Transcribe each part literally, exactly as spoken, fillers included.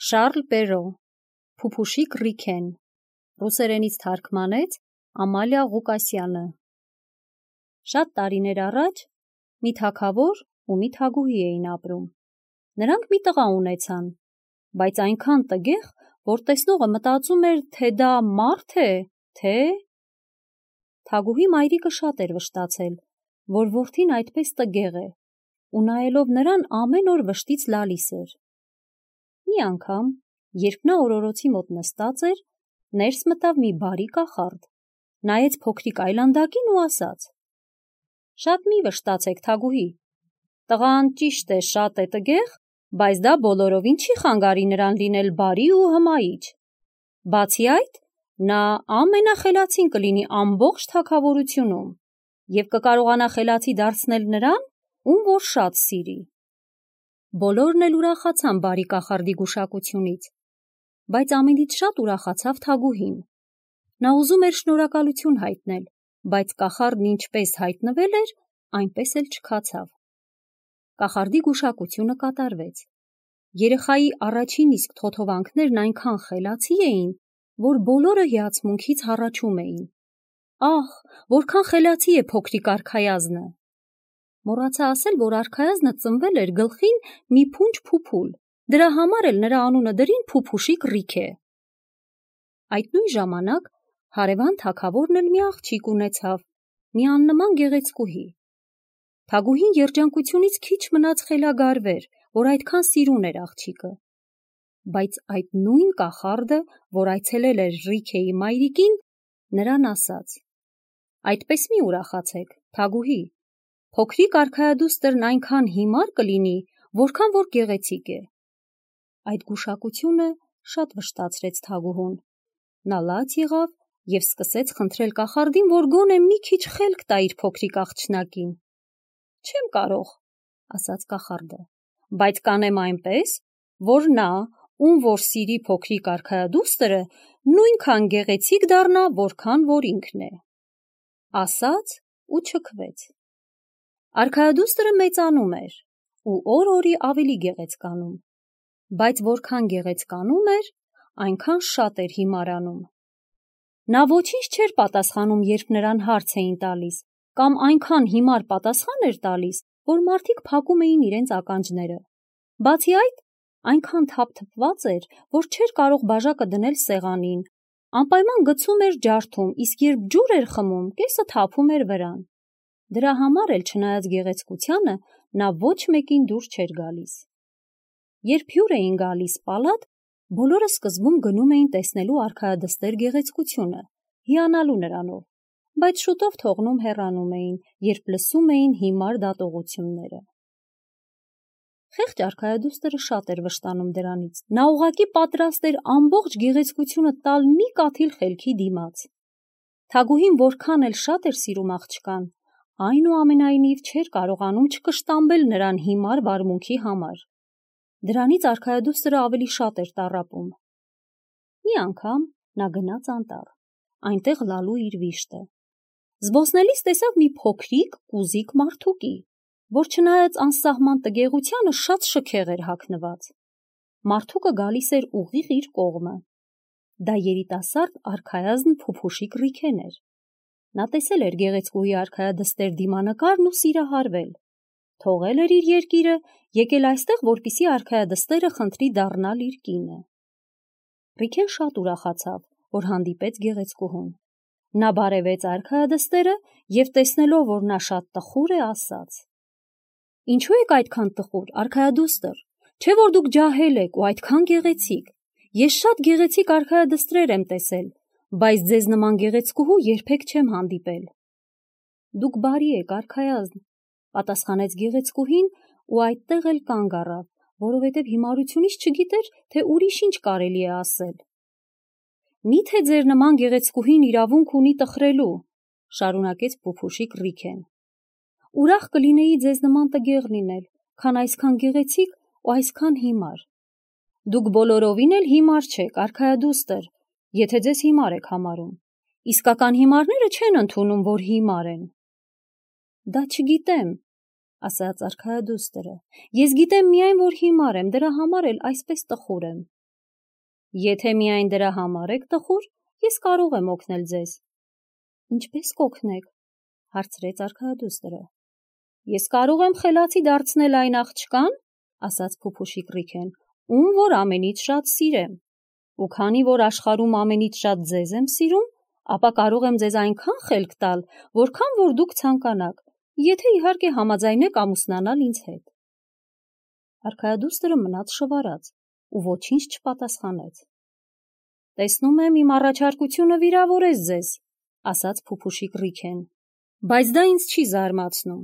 Շարլ Պերո, Փուփուշիկ Ռիքեն, ռուսերենից թարգմանեց Ամալիա Ղուկասյանը։ Շատ տարիներ առաջ մի թագավոր ու մի թագուհի էին ապրում։ Նրանք մի տղա ունեցան, բայց այնքան տգեղ, որ տեսնողը մտածում էր, թե դա մարդ է, թե… Թագուհի մայրիկը շատ էր վշտացել, որ որդին այդպես տգեղ է, ու նայելով նրան ամեն օր վշտից լալիս էր։ Մի անգամ, երբ նա օրորոցի մոտ նստած էր, ներս մտավ մի բարի կախարդ, նայեց փոքրիկ այլանդակին ու ասաց. «Շատ մի վշտացեք, թագուհի, տղան ճիշտ է շատ է տգեղ, բայց դա բոլորովին չի խանգարի նրան լինել բարի ու հմայիչ։ Բացի այդ, նա ամենախելացին կլինի ամբողջ թագավորությունում և կկարողանա խելացի դարձնել նրան, ում որ շատ սիրի»։ Բոլորն էլ ուրախացան բարի կախարդի գուշակությունից, բայց ամենից շատ ուրախացավ թագուհին։ Նա ուզում էր շնորհակալություն հայտնել, բայց կախարդն ինչպես հայտնվել էր, այնպես էլ չքացավ։ Կախարդի գուշակությունը կատարվեց։ Երեխայի առաջին իսկ թոթովանքներն այնքան խելացի էին, որ բոլորը հիացմունքից հառաչում էին. «Ահ, որքան խելացի է փոքրիկ արքայազնը»։ Մոռացա ասել, որ արքայազնը ծնվել էր գլխին մի փունջ փուփուլ, դրա համար էլ նրա անունը դրին Փուփուշիկ Ռիքե։ Այդ նույն ժամանակ հարևան թագավորն էլ մի աղջիկ ունեցավ, մի աննման գեղեցկուհի։ Թագուհին երջանկությունից քիչ մնաց խելագարվեր, որ այդքան սիրուն էր աղջիկը։ Բայց այդ նույն կախարդը, որ այցելել էր Ռիքեի մայրիկին, նրան ասաց. «Այդպես մի ուրախացեք, թագուհի, փոքրիկ արքայադուստրն այնքան հիմար կլինի, որքան որ գեղեցիկ է»։ Այդ գուշակությունը շատ վշտացրեց թագուհուն։ Նա լաց եղավ և սկսեց խնդրել կախարդին, որ գոնե մի քիչ խելք տա իր փոքրիկ աղջնակին։ «Չեմ կարող», ասաց կախարդը, «բայց կանեմ այնպես, որ նա, ում որ սիրի փոքրիկ արքայադուստրը, նույնքան գեղեցիկ դառնա, որքան որ ինքն է»։ Ասաց ու չքվեց։ Արքայադուստրը մեծանում էր ու օր-օրի ավելի գեղեցկանում, բայց որքան գեղեցկանում էր, այնքան շատ էր հիմարանում։ Նա ոչինչ չէր պատասխանում, երբ նրան հարց էին տալիս, կամ այնքան հիմար պատասխան էր տալիս, որ մարդիկ փակում էին իրենց ականջները։ Բացի այդ, այնքան թափթփված էր, որ չէր կարող բաժակը դնել սեղանին, անպայման գցում էր ջարդում, իսկ երբ ջուր էր խմում, կեսը թափում էր վրան։ Դրա համար էլ, չնայած գեղեցկությանը, նա ոչ մեկին դուր չէր գալիս։ Երբ հյուր էին գալիս պալատ, բոլորը սկզբում գնում էին տեսնելու արքայադստեր գեղեցկությունը, հիանալու նրանով, բայց շուտով թողնում հեռանում էին, երբ լսում էին հիմար դատողությունները։ Խեղճ արքայադուստրը շատ էր վշտանում դրանից։ Նա ուղղակի պատրաստ էր ամբողջ գեղեցկությունը տալ մի կաթիլ խելքի դիմաց։ Թագուհին որքան էլ շատ էր սիրում աղջկան, այնուամենայնիվ չէր կարողանում չկշտամբել նրան հիմար վարմունքի համար։ Դրանից արքայադուստրը ավելի շատ էր տառապում։ Մի անգամ նա գնաց անտառ, այնտեղ լալու իր վիշտը։ Զբոսնելիս տեսավ մի փոքրիկ կուզիկ մարդուկի, որ չնայած անսահման տգեղությանը շատ շքեղ էր հագնված։ Մարդուկը գալիս էր ուղիղ իր կողմը։ Դա երիտասարդ արքայազն Փուփուշիկ Ռիքեն էր։ Նա տեսել էր գեղեցկուհի արքայադստեր դիմանկարն ու սիրահարվել։ Թողել էր իր երկիրը, եկել այստեղ, որպեսզի արքայադստերը խնդրի դառնալ իր կինը։ Ռիքեն շատ ուրախացավ, որ հանդիպեց գեղեցկուհուն։ Նա բարևեց արքայադստերը և տեսնելով, որ նա շատ տխուր է, ասաց. «Ինչու եք այդքան տխուր, արքայադուստր, չէ՞ որ դուք ջահել եք ու այդքան գեղեցիկ։ Ես շատ գեղեցիկ արքայադստրեր եմ տեսել, բայց ձեզ նման գեղեցկուհու երբեք չեմ հանդիպել»։ «Դուք բարի եք, արքայազն», պատասխանեց գեղեցկուհին ու այդտեղ էլ կանգ առավ, որովհետև հիմարությունից չգիտեր, թե ուրիշ ինչ կարելի է ասել։ «Մի՞թե ձեր նման գեղեցկուհին իրավունք ունի տխրելու», շարունակեց Փուփուշիկ Ռիքեն։ «Ուրախ կլինեի ձեզ նման տգեղ լինել, քան այսքան գեղեցիկ ու այսքան հիմար։ Դուք բոլորովին էլ հիմար չեք, արքայադուստր, եթե ձեզ հիմար եք համարում։ Իսկական հիմարները չեն ընդունում, որ հիմար են»։ «Դա չգիտեմ», ասաց արքայադուստրը։ «Ես գիտեմ միայն, որ հիմար եմ, դրա համար էլ այսպես տխուր եմ»։ Եթե միայն դրա համար եք տխուր, ես կարող եմ օգնել ձեզ։ Ինչպես կօգնեք, հարցրեց արքայադուստրը։ Ես կարող եմ խելացի դարձնել այն աղջկան, ասաց Փուփուշիկ Ռիքեն, ում որ ամենից շատ սիրեմ։ Ու քանի որ աշխարհում ամենից շատ ձեզ եմ սիրում, ապա կարող եմ ձեզ այնքան խելք տալ, որքան որ դուք ցանկանաք, եթե իհարկե համաձայնեք ամուսնանալ ինձ հետ։ Արքայադուստրը մնաց շվարած ու ոչինչ չպատասխանեց։ Տեսնում եմ իմ առաջարկությունը վիրավորեց ձեզ, ասաց Փուփուշիկ Ռիքեն, բայց դա ինձ չի զարմացնում։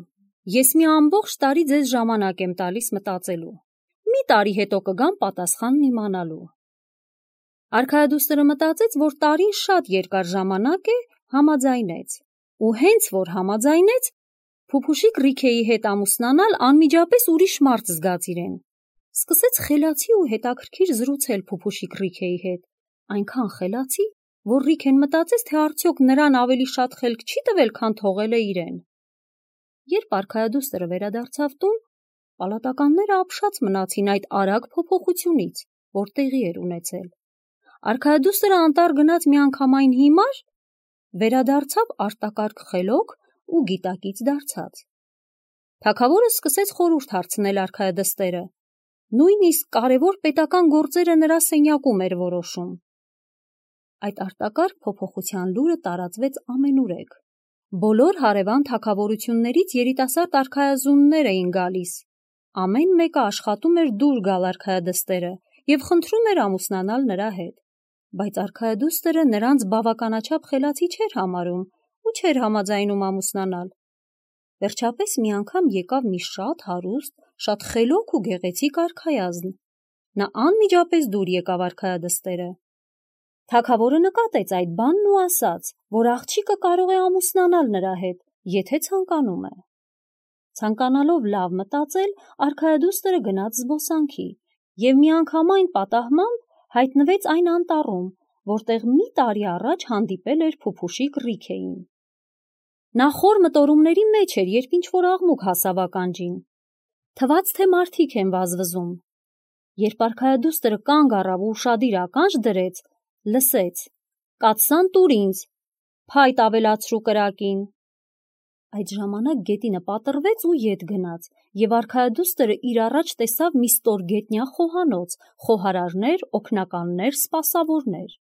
Ես մի ամբողջ տարի ձեզ ժամանակ եմ տալիս մտածելու։ Մի տարի հետո կգամ պատասխանն իմանալու։ Արքայադուստրը մտածեց, որ տարին շատ երկար ժամանակ է, համաձայնեց։ Ու հենց որ համաձայնեց, Փուփուշիկ Ռիքեի հետ ամուսնանալ անմիջապես ուրիշ մարդ զգաց իրեն։ Սկսեց խելացի ու հետաքրքիր զրուցել Փուփուշիկ Ռիքեի հետ, այնքան խելացի, որ Ռիքեն մտածեց, թե արդյոք նրան ավելի շատ խելք չի տվել, քան թողել է իրեն։ Երբ արքայադուստրը վերադարձավ տուն, պալատականները ապշած մնացին այդ արագ փոփոխությունից, որ տեղի էր ունեցել։ Արքայադուստրը անտառ գնաց միանգամայն հիմար, վերադարձավ արտակարգ խելոք ու գիտակից դարձած։ Թագավորը սկսեց խորհուրդ հարցնել արքայադստերը, նույնիսկ կարևոր պետական գործերը նրա սենյակում էր որոշում։ Այդ արտակարգ փոփոխության լուրը տարածվեց ամենուրեք։ Բոլոր հարևան թագավորություններից երիտասարդ արքայազուններ էին գալիս։ Ամեն մեկը աշխատում էր դուր գալ արքայադստերը և խնդրում էր ամուսնանալ նրա հետ, բայց արքայադուստրը նրանց բավականաչափ խելացի չէր համարում ու չէր համաձայնում ամուսնանալ։ Վերջապես մի անգամ եկավ մի շատ հարուստ, շատ խելոք ու գեղեցիկ արքայազն։ Նա անմիջապես դուր եկավ արքայադստերը։ Թագավորը նկատեց այդ բանն ու ասաց, որ աղջիկը կարող է ամուսնանալ նրա հետ, եթե ցանկանում է։ Ցանկանալով լավ մտածել, արքայադուստրը գնաց զբոսանքի և միանգամայն պատահմամբ հայտնվեց այն անտառում, որտեղ մի տարի առաջ հանդիպել էր Փուփուշիկ Ռիքեին։ Նա խոր մտորումների մեջ էր, երբ ինչ-որ աղմուկ հասավ ականջին։ Թվաց, թե մարդիկ են վազվզում։ Երբ արքայադուստրը կանգ առավ ու ուշադիր ականջ դրեց, լսեց. «Կաթսան տուր ինձ, փայտ ավելացրու կրակին»։ Այդ ժամանակ գետինը պատռվեց ու ետ գնաց, և արքայադուստրը իր առաջ տեսավ մի ստորգետնյա խոհանոց, խոհարարներ, օգնականներ, սպասավորներ։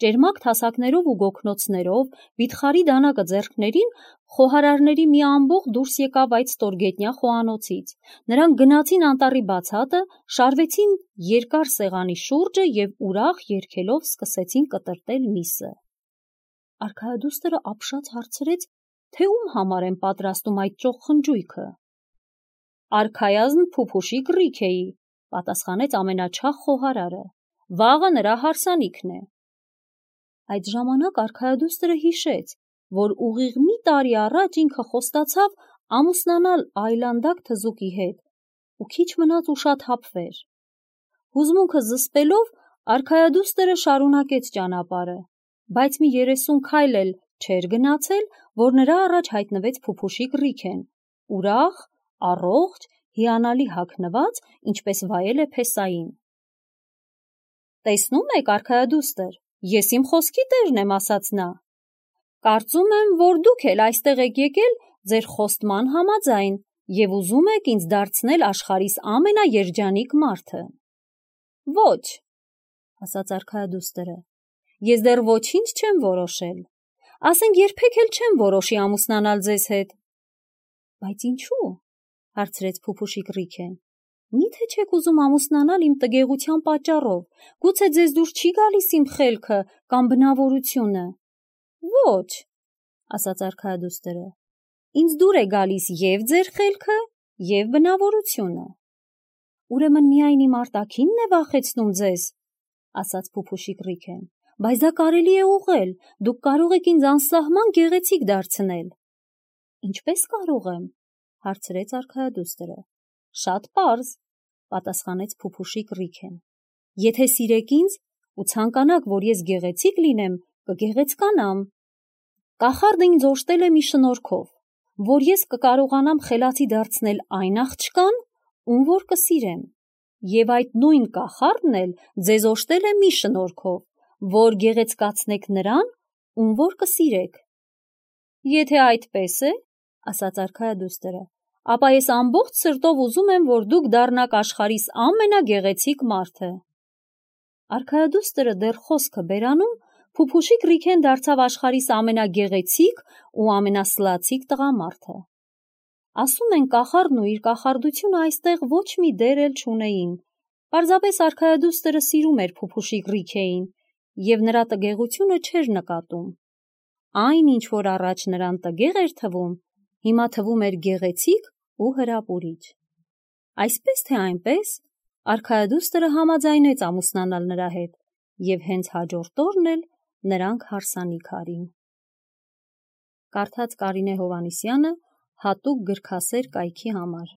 Ճերմակ թասակներով ու գոգնոցներով, վիթխարի դանակը ձեռքներին, խոհարարների մի ամբոխ դուրս եկավ այդ ստորգետնյա խոհանոցից։ Նրանք գնացին անտառի բացատը, շարվեցին երկար սեղանի շուրջը և ուրախ երգելով սկսեցին կտրտել միսը։ Արքայադուստրը ապշած հարցրեց, թե ում համար են պատրաստում այդ ճոխ խնջույքը։ Արքայազն Փուփուշիկ Ռիքեի, պատասխանեց ամենաչախ խոհարարը։ Վաղը նրա հարսանիքն է։ Այդ ժամանակ արքայադուստրը հիշեց, որ ուղիղ մի տարի առաջ ինքը խոստացավ ամուսնանալ այլանդակ թզուկի հետ ու քիչ մնաց ուշաթափվեր։ Հուզմունքը զսպելով, արքայադուստրը շարունակեց ճանապարհը, բայց մի երեսուն քայլ էլ չէր գնացել, որ նրա առաջ հայտնվեց Փուփուշիկ Ռիքեն, ուրախ, առողջ, հիանալի հագնված, ինչպես վայել է փեսային։ Տեսնում եք, արքայադուստր, ես իմ խոսքի տերն եմ, ասաց նա։ Կարծում եմ, որ դուք էլ այստեղ եք եկել ձեր խոստման համաձայն և ուզում եք ինձ դարձնել աշխարհիս ամենաերջանիկ մարդը։ Ոչ, ասաց արքայադուստրը, ես դեռ ոչինչ չեմ որոշել, ասենք երբեք էլ չեմ որոշի ամուսնանալ ձեզ հետ։ Բայց ինչու՞, հարցրեց Փուփուշիկ Ռիքեն։ Միթե չեք ուզում ամուսնանալ իմ տգեղության պատճառով, գուցե ձեզ դուր չի գալիս իմ խելքը կամ բնավորությունը։ Ոչ, ասաց արքայադուստրը, ինձ դուր է գալիս և ձեր խելքը, և բնավորությունը։ Ուրեմն միայն իմ արտաքինն է վախեցնում ձեզ, ասաց Փուփուշիկ Ռիքեն, բայց դա կարելի է ուղղել, դուք կարող եք ինձ անսահման գեղեցիկ դարձնել։ Ինչպես կարող եմ, հարցրեց արքայադուստրը։ Շատ պարզ, պատասխանեց Փուփուշիկ Ռիքեն։ Եթե սիրեք ինձ ու ցանկանաք, որ ես գեղեցիկ լինեմ, կգեղեցկանամ։ Կախարդը ինձ օժտել է մի շնորհքով, որ ես կկարողանամ խելացի դարձնել այն աղջկան, ում որ կսիրեմ, Եվ այդ նույն կախարդն էլ ձեզ օժտել է մի շնորհքով, որ գեղեցկացնեք նրան, ում որ կսիրեք։ Եթե այդպես է, ասաց արքայադուստրը, ապա ես ամբողջ սրտով ուզում եմ, որ դուք դառնաք աշխարհիս ամենագեղեցիկ մարդը։ Արքայադուստրը դեռ խոսքը բերանում, Փուփուշիկ Ռիքեն դարձավ աշխարհիս ամենագեղեցիկ ու ամենասլացիկ տղամարդը։ Ասում են, կախարդն ու իր կախարդությունը այստեղ ոչ մի դեր էլ չունեին, պարզապես արքայադուստրը սիրում էր Փուփուշիկ Ռիքեին և նրա տգեղությունը չէր նկատում։ Այն, ինչ որ առաջ նրան տգեղ էր թվում, հիմա թվում էր գեղեցիկ ու հրապուրիչ։ Այսպես թե այնպես, արքայադուստրը համաձայնեց ամուսնանալ նրա հետ, և հենց հաջորդ օրն էլ նրանք հարսանիք արին։ Կարդաց Կարինե Հովհաննիսյանը հատուկ գրքասեր կայքի համար։